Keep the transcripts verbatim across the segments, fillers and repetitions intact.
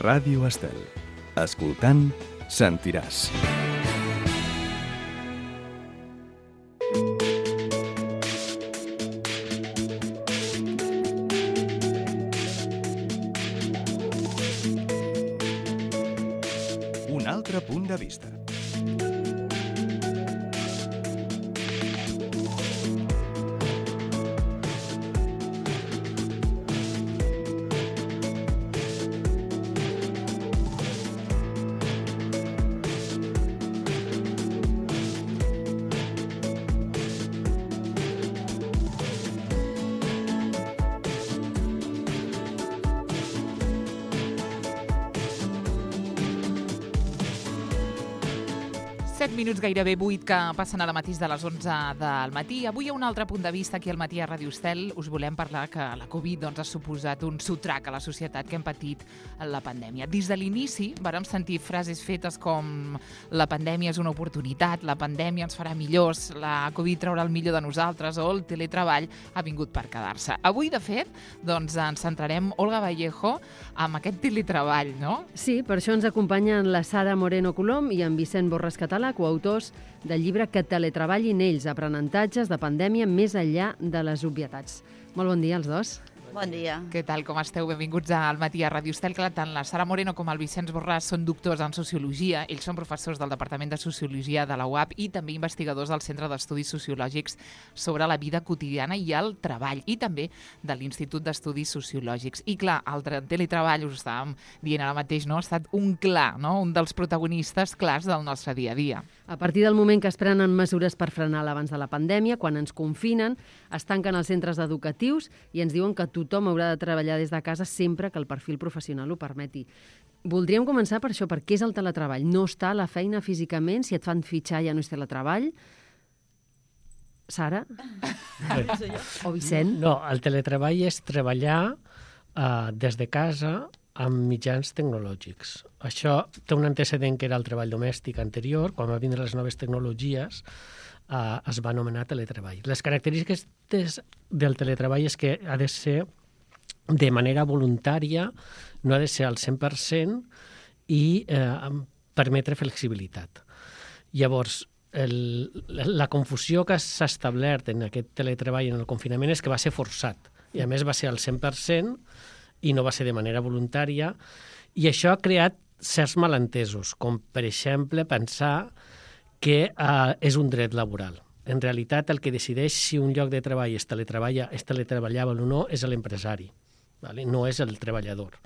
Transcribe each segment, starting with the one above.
Ràdio Estel. Escoltant, sentiràs. Un altre punt de vista. set minuts, gairebé vuit, que passen a la matís de les onze del matí. Avui hi ha un altre punt de vista aquí al matí a Ràdio Estel. Us volem parlar que la Covid doncs, ha suposat un sotrac a la societat que hem patit en la pandèmia. Des de l'inici vàrem sentir frases fetes com la pandèmia és una oportunitat, la pandèmia ens farà millors, la Covid traurà el millor de nosaltres o el teletreball ha vingut per quedar-se. Avui, de fet, doncs, ens centrarem, Olga Vallejo, amb aquest teletreball, no? Sí, per això ens acompanyen la Sara Moreno Colom i en Vicent Borràs Català, coautors del llibre Que teletreballin ells, aprenentatges de pandèmia més enllà de les obvietats. Molt bon dia als dos. Bon dia. Què tal, com esteu? Benvinguts al matí a Ràdio Estel. Clar, tant la Sara Moreno com el Vicenç Borràs són doctors en Sociologia. Ells són professors del Departament de Sociologia de la U A P i també investigadors del Centre d'Estudis Sociològics sobre la vida quotidiana i el treball, i també de l'Institut d'Estudis Sociològics. I clar, el teletreball, us estàvem dient ara mateix, no? Ha estat un clar, no? Un dels protagonistes clars del nostre dia a dia. A partir del moment que es prenen mesures per frenar l'abans de la pandèmia, quan ens confinen, es tanquen els centres educatius i ens diuen que tothom haurà de treballar des de casa sempre que el perfil professional ho permeti. Voldríem començar per això, per què és el teletreball? No està a la feina físicament? Si et fan fitxar ja no és teletreball? Sara? O Vicent? No, el teletreball és treballar uh, des de casa amb mitjans tecnològics. Això té un antecedent que era el treball domèstic anterior. Quan van vindre les noves tecnologies, Uh, es va anomenar teletreball. Les característiques des, del teletreball és que ha de ser de manera voluntària, no ha de ser al cent per cent i eh, permetre flexibilitat. Llavors, el, la confusió que s'ha establert en aquest teletreball en el confinament és que va ser forçat i a més va ser al cent per cent i no va ser de manera voluntària, i això ha creat certs malentesos, com per exemple pensar que uh, és un dret laboral. En realitat, el que decideix si un lloc de treball es teletreballa, és teletreballable o no és l'empresari, vale? No és el treballador.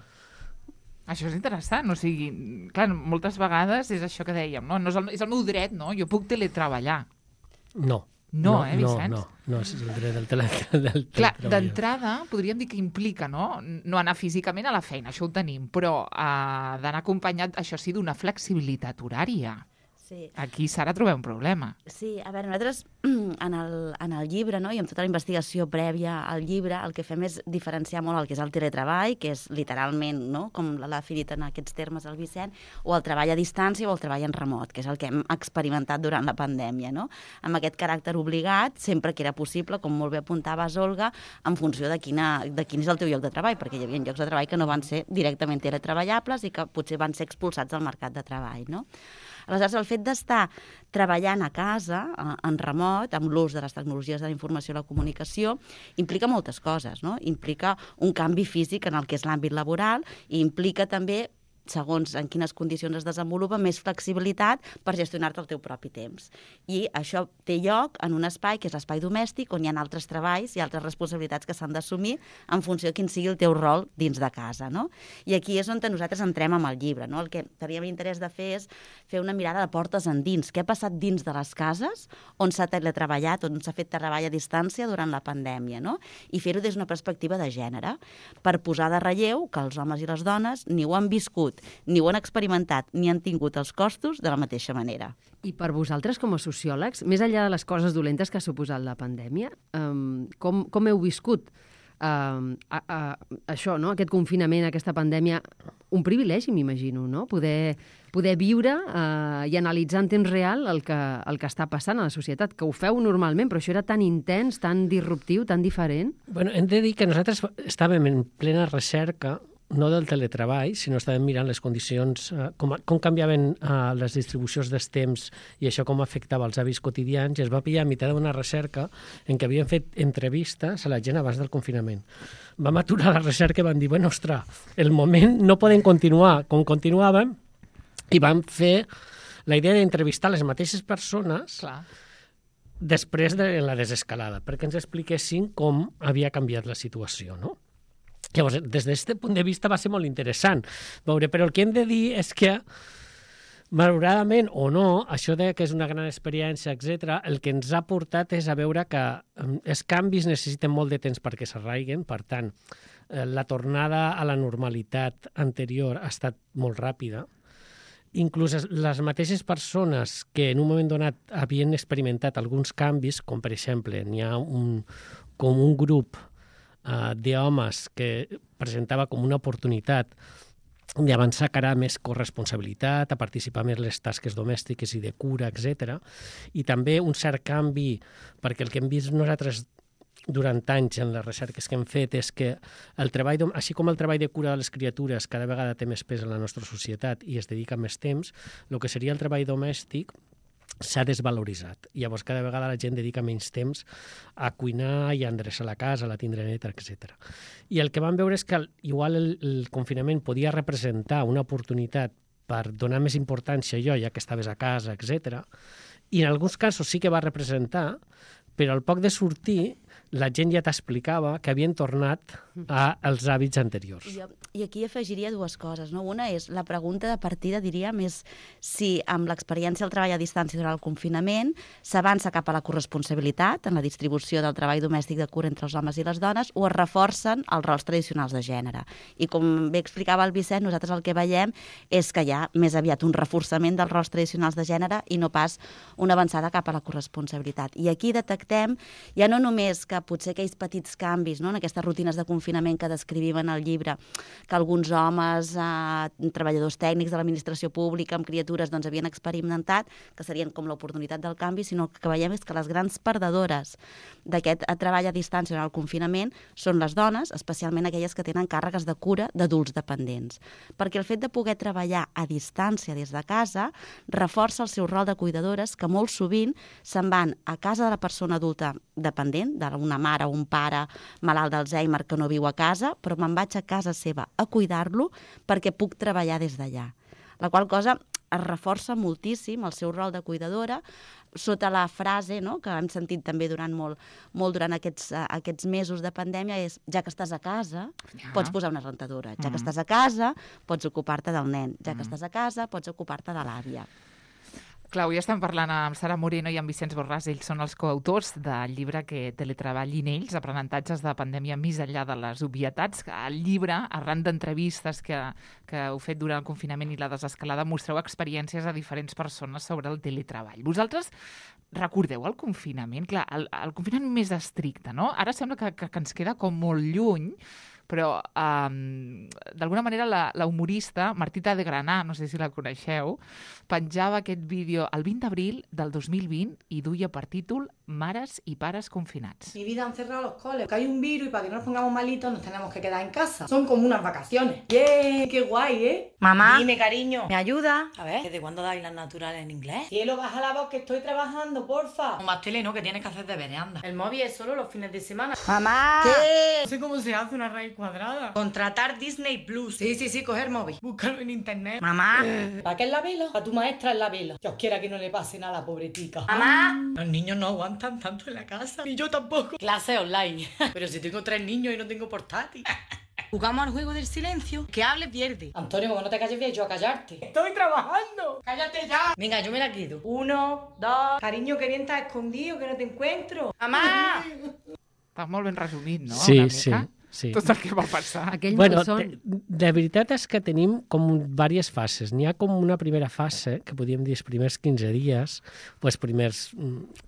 Això és interessant, o sigui, clar, moltes vegades és això que dèiem, no? no és, el, és el meu dret, no? Jo puc teletreballar. No. No, no eh, Vicenç? No, no, no és el dret del, tele, del Clar, d'entrada, podríem dir que implica, no? No anar físicament a la feina, això ho tenim, però uh, d'anar acompanyat, això sí, d'una flexibilitat horària. Sí. Aquí, Sara, trobem un problema. Sí, a veure, nosaltres en el, en el llibre, no, i amb tota la investigació prèvia al llibre, el que fem és diferenciar molt el que és el teletreball, que és literalment, no, com l'ha definit en aquests termes el Vicent, o el treball a distància o el treball en remot, que és el que hem experimentat durant la pandèmia, no? Amb aquest caràcter obligat, sempre que era possible, com molt bé apuntaves, Olga, en funció de, quina, de quin és el teu lloc de treball, perquè hi havia llocs de treball que no van ser directament teletreballables i que potser van ser expulsats del mercat de treball, no? Aleshores, el fet d'estar treballant a casa, en remot, amb l'ús de les tecnologies de la informació i la comunicació, implica moltes coses, no? Implica un canvi físic en el que és l'àmbit laboral i implica també, segons en quines condicions es desenvolupa, més flexibilitat per gestionar-te el teu propi temps. I això té lloc en un espai que és l'espai domèstic, on hi ha altres treballs i altres responsabilitats que s'han d'assumir en funció de quin sigui el teu rol dins de casa, no? I aquí és on nosaltres entrem amb el llibre, no? El que teníem interès de fer és fer una mirada de portes endins. Què ha passat dins de les cases on s'ha teletreballat, on s'ha fet treball a distància durant la pandèmia, no? I fer-ho des d'una perspectiva de gènere, per posar de relleu que els homes i les dones ni ho han viscut, ni ho han experimentat, ni han tingut els costos de la mateixa manera. I per vosaltres, com a sociòlegs, més enllà de les coses dolentes que ha suposat la pandèmia, um, com, com heu viscut uh, a, a, això, no? Aquest confinament, aquesta pandèmia? Un privilegi, m'imagino, no? Poder, poder viure uh, i analitzar en temps real el que, el que està passant a la societat, que ho feu normalment, però això era tan intens, tan disruptiu, tan diferent. Bueno, hem de dir que nosaltres estàvem en plena recerca no del teletreball, sinó estàvem mirant les condicions, eh, com, com canviaven eh, les distribucions dels temps i això com afectava els hàbits quotidians, i es va pillar a mitjà d'una recerca en què havien fet entrevistes a la gent abans del confinament. Vam aturar la recerca i vam dir, bueno, ostres, el moment no podem continuar com continuàvem, i vam fer la idea d'entrevistar les mateixes persones Clar. després de la desescalada, perquè ens expliquessin com havia canviat la situació, no? Llavors, des d'aquest punt de vista va ser molt interessant veure, però el que hem de dir és que, malauradament o no, això de que és una gran experiència, etcètera, el que ens ha portat és a veure que els canvis necessiten molt de temps perquè s'arraiguen, per tant, la tornada a la normalitat anterior ha estat molt ràpida. Inclús les mateixes persones que en un moment donat havien experimentat alguns canvis, com per exemple, n'hi ha un, com un grup uh, d'homes que presentava com una oportunitat d'avançar cara a més corresponsabilitat, a participar més en les tasques domèstiques i de cura, etcètera. I també un cert canvi, perquè el que hem vist nosaltres durant anys en les recerques que hem fet és que el treball, així com el treball de cura de les criatures cada vegada té més pes en la nostra societat i es dedica més temps, el que seria el treball domèstic s'ha desvaloritzat. Llavors cada vegada la gent dedica menys temps a cuinar i a endreçar la casa, a la tindre neta, etcètera. I el que vam veure és que igual el, el confinament podia representar una oportunitat per donar més importància a allò, ja que estaves a casa, etcètera. I en alguns casos sí que va representar, però al poc de sortir la gent ja t'explicava que havien tornat als hàbits anteriors. I, I aquí afegiria dues coses, no? Una és la pregunta de partida, diríem, és si amb l'experiència del treball a distància durant el confinament s'avança cap a la corresponsabilitat en la distribució del treball domèstic de cura entre els homes i les dones o es reforcen els rols tradicionals de gènere. I com bé explicava el Vicent, nosaltres el que veiem és que hi ha més aviat un reforçament dels rols tradicionals de gènere i no pas una avançada cap a la corresponsabilitat. I aquí detectem ja no només que potser aquells petits canvis, no?, en aquestes rutines de confinament que descrivim en el llibre, que alguns homes, eh, treballadors tècnics de l'administració pública amb criatures, doncs havien experimentat, que serien com l'oportunitat del canvi, sinó que veiem és que les grans perdedores d'aquest treball a distància en el confinament són les dones, especialment aquelles que tenen càrregues de cura d'adults dependents. Perquè el fet de poder treballar a distància des de casa reforça el seu rol de cuidadores que molt sovint se'n van a casa de la persona adulta dependent, d'una mare o un pare malalt d'Alzheimer que no viu a casa, però me'n vaig a casa seva a cuidar-lo perquè puc treballar des d'allà. La qual cosa es reforça moltíssim el seu rol de cuidadora sota la frase, no?, que hem sentit també durant molt, molt durant aquests, uh, aquests mesos de pandèmia, és ja que estàs a casa, ja. pots posar una rentadora. Ja mm. que estàs a casa, pots ocupar-te del nen. Ja mm. que estàs a casa, pots ocupar-te de l'àvia. Clar, avui estem parlant amb Sara Moreno i amb Vicenç Borràs. Ells són els coautors del llibre que teletreballin ells, aprenentatges de pandèmia més enllà de les obvietats. El llibre, arran d'entrevistes que, que heu fet durant el confinament i la desescalada, mostreu experiències a diferents persones sobre el teletreball. Vosaltres recordeu el confinament? Clar, el, el confinament més estricte, no? Ara sembla que, que, que ens queda com molt lluny, però um, d'alguna manera la, la humorista Martita de Granà, no sé si la coneixeu, penjava aquest vídeo el vint d'abril del dos mil vint i duia per títol Mares y pares confinados. Mi vida han cerrado los coles, que hay un virus y para que no nos pongamos malitos nos tenemos que quedar en casa. Son como unas vacaciones. ¡Yeah! ¡Qué guay, eh! Mamá, dime, cariño. ¿me ayuda? A ver. ¿Desde cuándo dais las naturales en inglés? Cielo, baja la voz que estoy trabajando, porfa. Un más tele, ¿no? Que tienes que hacer deberes, anda. El móvil es solo los fines de semana. Mamá. ¿Qué? No sé cómo se hace una raíz cuadrada. Contratar Disney Plus. Sí, sí, sí, coger móvil. Búscalo en internet. Mamá. ¿Para qué es la vela? Para tu maestra es la vela. Dios quiera que no le pase nada a la pobretica. Mamá. Los niños no aguantan tanto en la casa. Y yo tampoco. Clase online. Pero si tengo tres niños y no tengo portátil. Jugamos al juego del silencio. Que hable pierde. Antonio, como no te calles bien, yo a callarte. ¡Estoy trabajando! ¡Cállate ya! Venga, yo me la quito. Uno, dos... Cariño, que bien estás escondido, que no te encuentro. Mamá! Està molt ben resumit, no? Sí, Una sí. mica. Sí. Tot el que va passar. Aquell Bueno, malson... de, de veritat és que tenim com diverses fases. N'hi ha com una primera fase, que podríem dir els primers quinze dies, o els primers,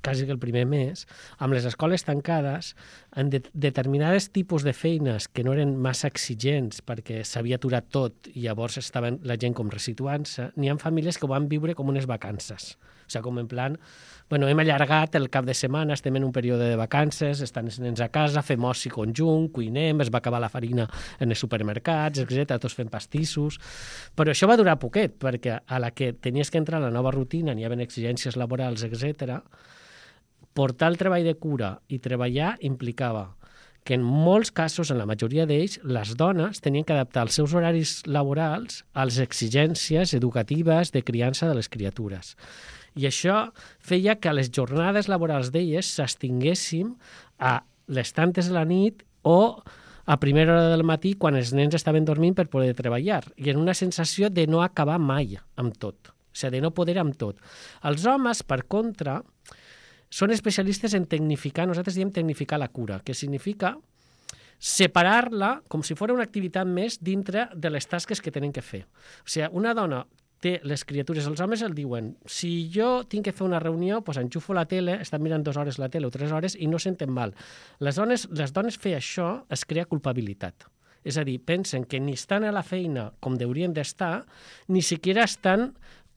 quasi que el primer mes, amb les escoles tancades, en de, determinades tipus de feines que no eren massa exigents perquè s'havia aturat tot i llavors estaven la gent com resituant-se, n'hi ha famílies que ho van viure com unes vacances. O sigui, com en plan, bueno, hem allargat el cap de setmana, estem en un període de vacances, estan els nens a casa, fem oci conjunt, cuinem, es va acabar la farina en els supermercats, etcètera, tots fem pastissos. Però això va durar poquet, perquè a la que tenies que entrar a la nova rutina, n'hi havia exigències laborals, etcètera, portar el treball de cura i treballar implicava que en molts casos, en la majoria d'ells, les dones tenien que adaptar els seus horaris laborals a les exigències educatives de criança de les criatures. I això feia que a les jornades laborals d'elles s'extinguéssim a les tantes de la nit o a primera hora del matí quan els nens estaven dormint per poder treballar. I en una sensació de no acabar mai amb tot, o sigui, de no poder amb tot. Els homes, per contra, són especialistes en tecnificar, nosaltres diem tecnificar la cura, que significa separar-la com si fos una activitat més dintre de les tasques que tenen que fer. O sigui, una dona té les criatures, els homes el diuen, si jo tinc que fer una reunió, doncs enxufo la tele, estan mirant dues hores la tele o tres hores i no senten mal. Les dones, les dones fer això es crea culpabilitat. És a dir, pensen que ni estan a la feina com deurien d'estar, ni siquiera estan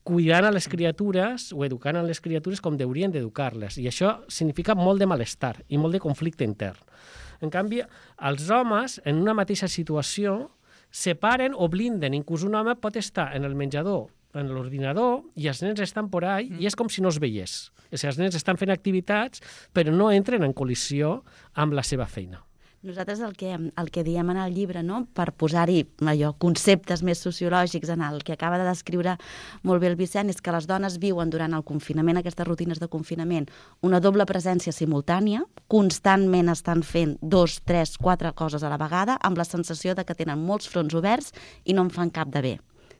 cuidant a les criatures o educant a les criatures com deurien d'educar-les. I això significa molt de malestar i molt de conflicte intern. En canvi, els homes, en una mateixa situació, separen o blinden. Inclús un home pot estar en el menjador, en l'ordinador, i els nens estan por ahí, mm. i és com si no es veiés. O sigui, els nens estan fent activitats, però no entren en col·lisió amb la seva feina. Nosaltres el que, el que diem en el llibre, no? Per posar-hi allò, conceptes més sociològics en el que acaba de descriure molt bé el Vicent, és que les dones viuen durant el confinament, aquestes rutines de confinament, una doble presència simultània, constantment estan fent dos, tres, quatre coses a la vegada, amb la sensació de que tenen molts fronts oberts i no en fan cap de bé.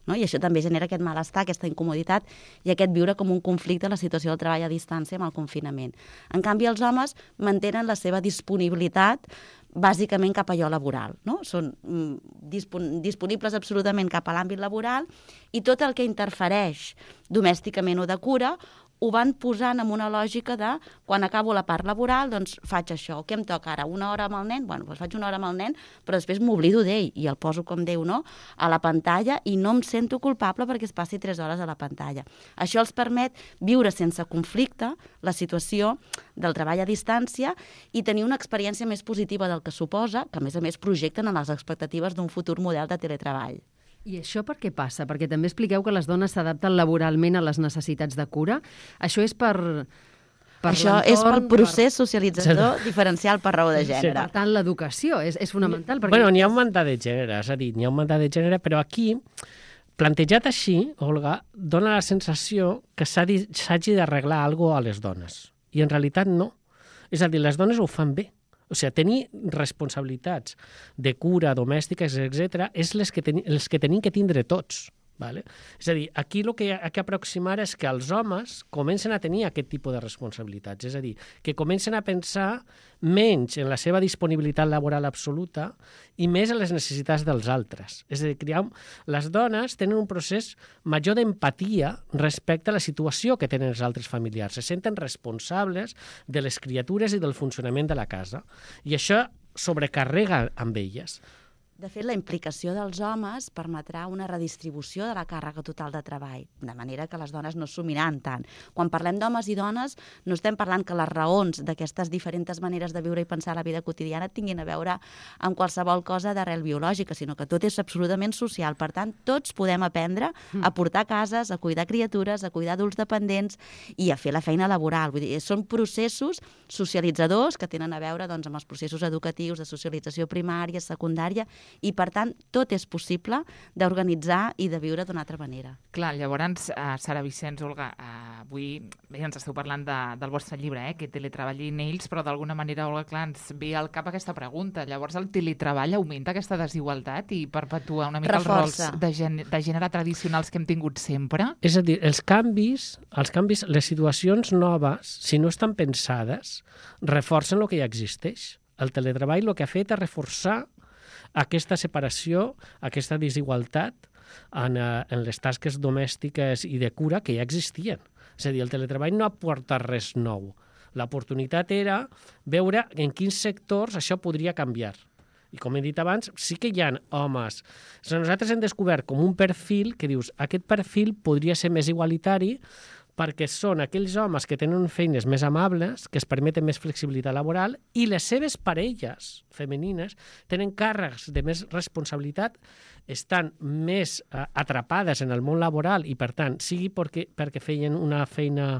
No? I això també genera aquest malestar, aquesta incomoditat i aquest viure com un conflicte a la situació del treball a distància amb el confinament. En canvi, els homes mantenen la seva disponibilitat bàsicament cap a allò laboral. No? Són dispon disponibles absolutament cap a l'àmbit laboral i tot el que interfereix domèsticament o de cura ho van posant en una lògica de quan acabo la part laboral, doncs faig això. Què em toca ara? Una hora amb el nen? Bueno, doncs faig una hora amb el nen, però després m'oblido d'ell i el poso, com Déu, no? A la pantalla i no em sento culpable perquè es passi tres hores a la pantalla. Això els permet viure sense conflicte la situació del treball a distància i tenir una experiència més positiva del que suposa, que a més a més projecten en les expectatives d'un futur model de teletreball. I això per què passa? Perquè també expliqueu que les dones s'adapten laboralment a les necessitats de cura. Això és per... per Això és pel procés socialitzador sí. diferencial per raó de gènere. Sí, per tant, l'educació és, és fonamental. Perquè... Bueno, n'hi ha un mandat de gènere, és a dir, n'hi ha un mandat de gènere, però aquí, plantejat així, Olga, dona la sensació que s'hagi d'arreglar alguna cosa a les dones. I en realitat no. És a dir, les dones ho fan bé. O sigui, tenir responsabilitats de cura, domèstiques, etcètera, és les que, ten les que tenim que tindre tots. Vale? És a dir, aquí el que hi ha que aproximar és que els homes comencen a tenir aquest tipus de responsabilitats. És a dir, que comencen a pensar menys en la seva disponibilitat laboral absoluta i més en les necessitats dels altres. És a dir, que les dones tenen un procés major d'empatia respecte a la situació que tenen els altres familiars. Se senten responsables de les criatures i del funcionament de la casa. I això sobrecarrega amb elles. De fet, la implicació dels homes permetrà una redistribució de la càrrega total de treball, de manera que les dones no s'assumiran tant. Quan parlem d'homes i dones, no estem parlant que les raons d'aquestes diferents maneres de viure i pensar la vida quotidiana tinguin a veure amb qualsevol cosa d'arrel biològica, sinó que tot és absolutament social. Per tant, tots podem aprendre a portar cases, a cuidar criatures, a cuidar adults dependents i a fer la feina laboral. Vull dir, són processos socialitzadors que tenen a veure doncs, amb els processos educatius de socialització primària, secundària, i, per tant, tot és possible d'organitzar i de viure d'una altra manera. Clar, llavors, uh, Sara Vicenç, Olga, uh, avui bé, ens esteu parlant de, del vostre llibre, eh, que teletreballin ells, però d'alguna manera, Olga, clar, ens ve al cap aquesta pregunta. Llavors, el teletreball augmenta aquesta desigualtat i perpetua una mica Reforça. els rols de, gen de gènere tradicionals que hem tingut sempre? És a dir, els canvis, els canvis, les situacions noves, si no estan pensades, reforcen el que ja existeix. El teletreball el que ha fet és reforçar aquesta separació, aquesta desigualtat en, en les tasques domèstiques i de cura que ja existien. És a dir, el teletreball no aporta res nou. L'oportunitat era veure en quins sectors això podria canviar. I com he dit abans, sí que hi ha homes. O sigui, nosaltres hem descobert com un perfil que dius, aquest perfil podria ser més igualitari perquè són aquells homes que tenen feines més amables, que es permeten més flexibilitat laboral, i les seves parelles femenines tenen càrrecs de més responsabilitat, estan més eh, atrapades en el món laboral i, per tant, sigui perquè, perquè feien una feina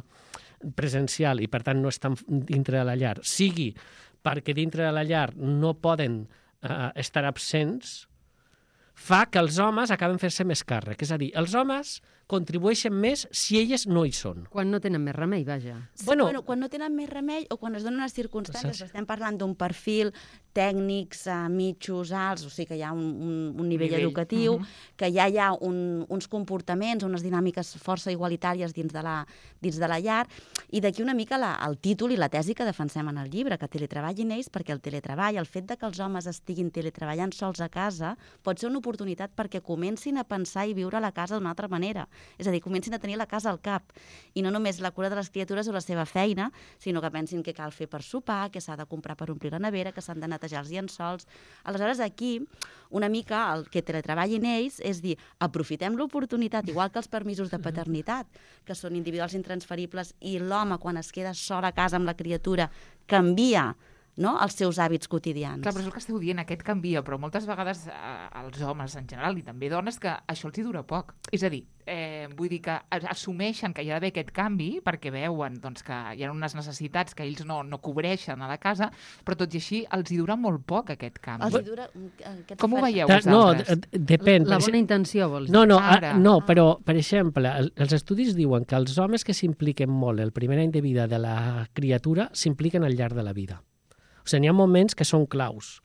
presencial i, per tant, no estan dintre de la llar, sigui perquè dintre de la llar no poden eh, estar absents, fa que els homes acaben fent-se més càrrec. És a dir, els homes contribueixen més si elles no hi són. Quan no tenen més remei, vaja. Sí, Bueno, bueno, quan no tenen més remei o quan es donen les circumstàncies, Saps? estem parlant d'un perfil tècnics, uh, mitjos, alts, o sigui que hi ha un, un, un nivell, Nivell. educatiu, Mhm. que ja hi ha un, uns comportaments, unes dinàmiques força igualitàries dins de la, dins de la llar, i d'aquí una mica la, el títol i la tesi que defensem en el llibre, que teletreballin ells, perquè el teletreball, el fet de que els homes estiguin teletreballant sols a casa, pot ser una oportunitat perquè comencin a pensar i viure la casa d'una altra manera. És a dir, comencin a tenir la casa al cap. I no només la cura de les criatures o la seva feina, sinó que pensin què cal fer per sopar, què s'ha de comprar per omplir la nevera, que s'han de netejar els llençols. Aleshores, aquí, una mica el que teletreballin ells és dir, aprofitem l'oportunitat, igual que els permisos de paternitat, que són individuals intransferibles, i l'home, quan es queda sol a casa amb la criatura, canvia, no?, els seus hàbits quotidians. Clar, però és el que esteu dient, aquest canvia, però moltes vegades eh, els homes en general i també dones que això els hi dura poc. És a dir, eh, vull dir que assumeixen que hi ha d'haver aquest canvi perquè veuen doncs, que hi ha unes necessitats que ells no, no cobreixen a la casa, però tot i així els hi dura molt poc aquest canvi. Els hi dura, aquests Com ho oferts- veieu Ta- no, vosaltres? d- depèn. La Per bona exemple- intenció, vols dir? No, no, Ara. a, no, però, per exemple, el, els estudis diuen que els homes que s'impliquen molt el primer any de vida de la criatura s'impliquen al llarg de la vida. O sigui, hi ha moments que són claus.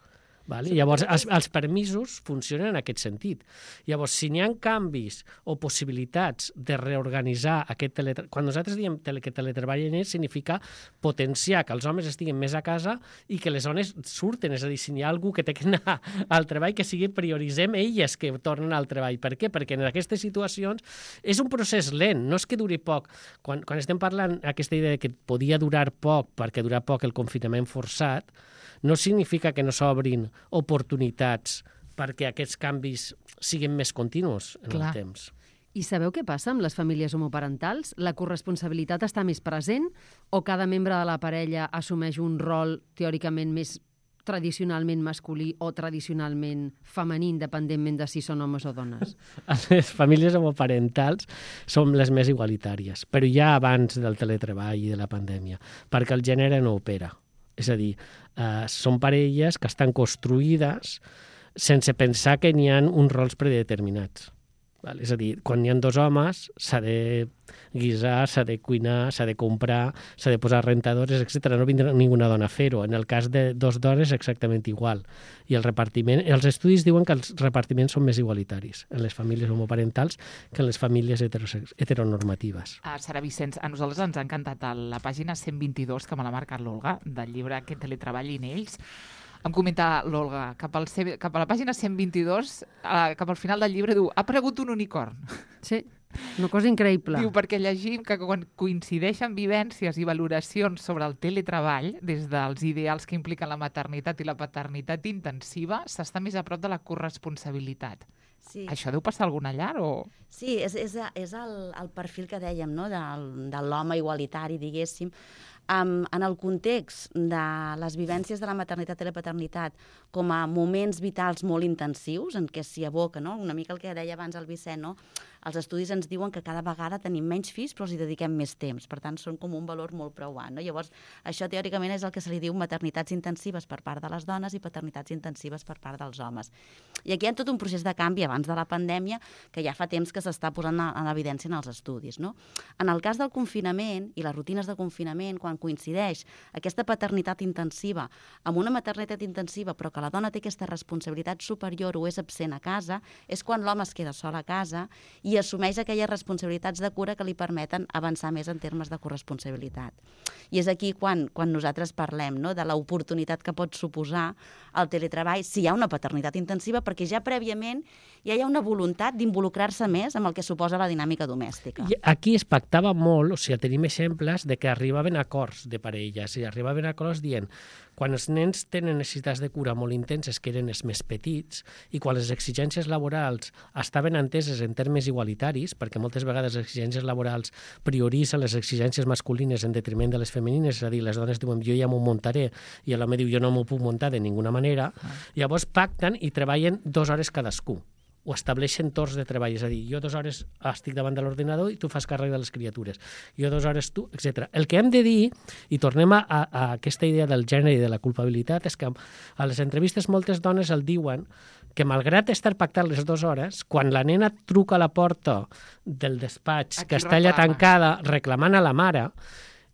Vale? Llavors, els, els permisos funcionen en aquest sentit. Llavors, si n'hi ha canvis o possibilitats de reorganitzar aquest teletreball... Quan nosaltres diem tele, que teletreballen ells, significa potenciar que els homes estiguin més a casa i que les dones surten. És a dir, si n'hi ha algú que té que anar al treball, que sigui prioritzem elles que tornen al treball. Per què? Perquè en aquestes situacions és un procés lent, no és que duri poc. Quan, quan estem parlant aquesta idea de que podia durar poc perquè durar poc el confinament forçat, no significa que no s'obrin oportunitats perquè aquests canvis siguin més continus en Clar. el temps. I sabeu què passa amb les famílies homoparentals? La corresponsabilitat està més present o cada membre de la parella assumeix un rol teòricament més tradicionalment masculí o tradicionalment femení, independentment de si són homes o dones? Les famílies homoparentals són les més igualitàries, però ja abans del teletreball i de la pandèmia, perquè el gènere no opera. És a dir, eh, són parelles que estan construïdes sense pensar que n'hi ha uns rols predeterminats. Val? És a dir, quan hi ha dos homes, s'ha de guisar, s'ha de cuinar, s'ha de comprar, s'ha de posar rentadores, etcètera. No vindrà ninguna dona a fer-ho. En el cas de dos dones, exactament igual. I el repartiment, els estudis diuen que els repartiments són més igualitaris en les famílies homoparentals que en les famílies heterosex- heteronormatives. Ah, Sara Vicenç, a nosaltres ens ha encantat el- la pàgina cent vint-i-dos, que me l'ha marcat l'Olga, del llibre Que teletreballin ells. Em comenta l'Olga, cap, al C- cap a la pàgina cent vint-i-dos, eh, cap al final del llibre, diu, ha aparegut un unicorn. Sí, una cosa increïble. Diu, perquè llegim que quan coincideixen vivències i valoracions sobre el teletreball, des dels ideals que impliquen la maternitat i la paternitat intensiva, s'està més a prop de la corresponsabilitat. Sí. Això deu passar a alguna llar o...? Sí, és, és, és el, el perfil que dèiem, no?, del, de l'home igualitari, diguéssim. Um, en el context de les vivències de la maternitat i la paternitat com a moments vitals molt intensius, en què s'hi aboca, no?, una mica el que deia abans el Vicent, no?, els estudis ens diuen que cada vegada tenim menys fills però els hi dediquem més temps, per tant són com un valor molt preuant, no? Llavors, això teòricament és el que se li diu maternitats intensives per part de les dones i paternitats intensives per part dels homes. I aquí hi ha tot un procés de canvi abans de la pandèmia que ja fa temps que s'està posant en evidència en els estudis, no? En el cas del confinament i les rutines de confinament, quan coincideix aquesta paternitat intensiva amb una maternitat intensiva però que la dona té aquesta responsabilitat superior o és absent a casa, és quan l'home es queda sol a casa i assumeix aquelles responsabilitats de cura que li permeten avançar més en termes de corresponsabilitat. I és aquí quan, quan nosaltres parlem, no?, de l'oportunitat que pot suposar el teletreball si hi ha una paternitat intensiva, perquè ja prèviament ja hi ha una voluntat d'involucrar-se més amb el que suposa la dinàmica domèstica. I aquí es pactava molt, o sigui, tenim exemples de que arribaven a acords de parelles i arribaven a acords dient quan els nens tenen necessitats de cura molt intenses, que eren els més petits, i quan les exigències laborals estaven enteses en termes igualitaris, perquè moltes vegades les exigències laborals prioritzen les exigències masculines en detriment de les femenines, és a dir, les dones diuen jo ja m'ho muntaré i l'home diu jo no m'ho puc muntar de ninguna manera, llavors pacten i treballen dues hores cadascú, o estableixen torns de treball, és a dir, jo dues hores estic davant de l'ordinador i tu fas càrrec de les criatures, jo dues hores tu, etcètera. El que hem de dir, i tornem a, a aquesta idea del gènere i de la culpabilitat, és que a les entrevistes moltes dones el diuen que malgrat estar pactant les dues hores, quan la nena truca a la porta del despatx, Aquí que està allà reclama. tancada reclamant a la mare,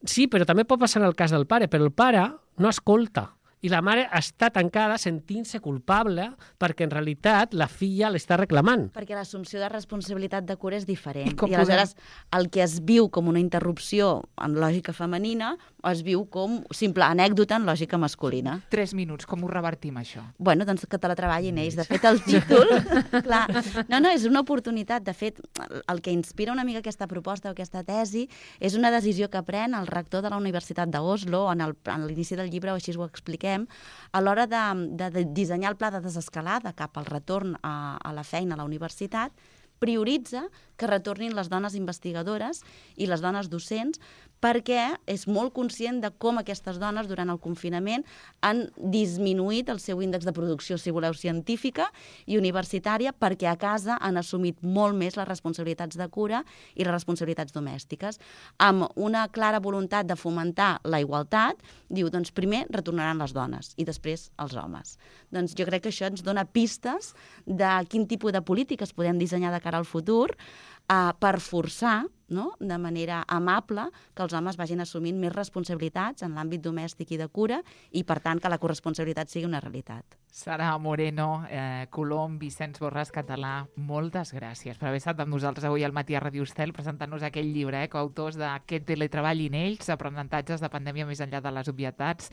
sí, però també pot passar en el cas del pare, però el pare no escolta. I la mare està tancada sentint-se culpable perquè en realitat la filla l'està reclamant. Perquè l'assumpció de responsabilitat de cura és diferent. I com I aleshores el que es viu com una interrupció en lògica femenina es viu com simple anècdota en lògica masculina. Tres minuts, com ho revertim, això? Bueno, doncs que teletreballin ells. De fet, el títol... clar, no, no, és una oportunitat. De fet, el que inspira una mica aquesta proposta o aquesta tesi és una decisió que pren el rector de la Universitat d'Oslo, en el- en l'inici del llibre, o així ho expliquem, a l'hora de, de, de dissenyar el pla de desescalada cap al retorn a, a la feina a la universitat, prioritza que retornin les dones investigadores i les dones docents perquè és molt conscient de com aquestes dones durant el confinament han disminuït el seu índex de producció, si voleu, científica i universitària, perquè a casa han assumit molt més les responsabilitats de cura i les responsabilitats domèstiques. Amb una clara voluntat de fomentar la igualtat, diu, doncs primer retornaran les dones i després els homes. Doncs jo crec que això ens dona pistes de quin tipus de polítiques podem dissenyar de cara al futur uh, per forçar, no?, de manera amable que els homes vagin assumint més responsabilitats en l'àmbit domèstic i de cura i, per tant, que la corresponsabilitat sigui una realitat. Sara Moreno, eh, Colom, Vicenç Borràs Català, moltes gràcies per haver estat amb nosaltres avui al Matí a Ràdio Estel presentant-nos aquell llibre, eh, coautors d'aquest teletreballin ells, aprenentatges de pandèmia més enllà de les obvietats.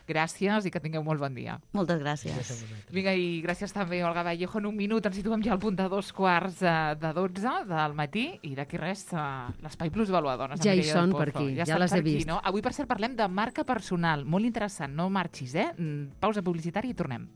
Gràcies i que tingueu molt bon dia. Moltes gràcies. Vinga, i gràcies també, Olga Vallejo. En un minut ens situem ja al punt de dos quarts eh, de dotze del matí i d'aquí res eh, l'Espai Plus Valuadones. Ja hi són per aquí, ja estan les he per aquí, vist. No? Avui, per cert, parlem de marca personal. Molt interessant, no marxis, eh? Mm, Pausa publicitària i tornem.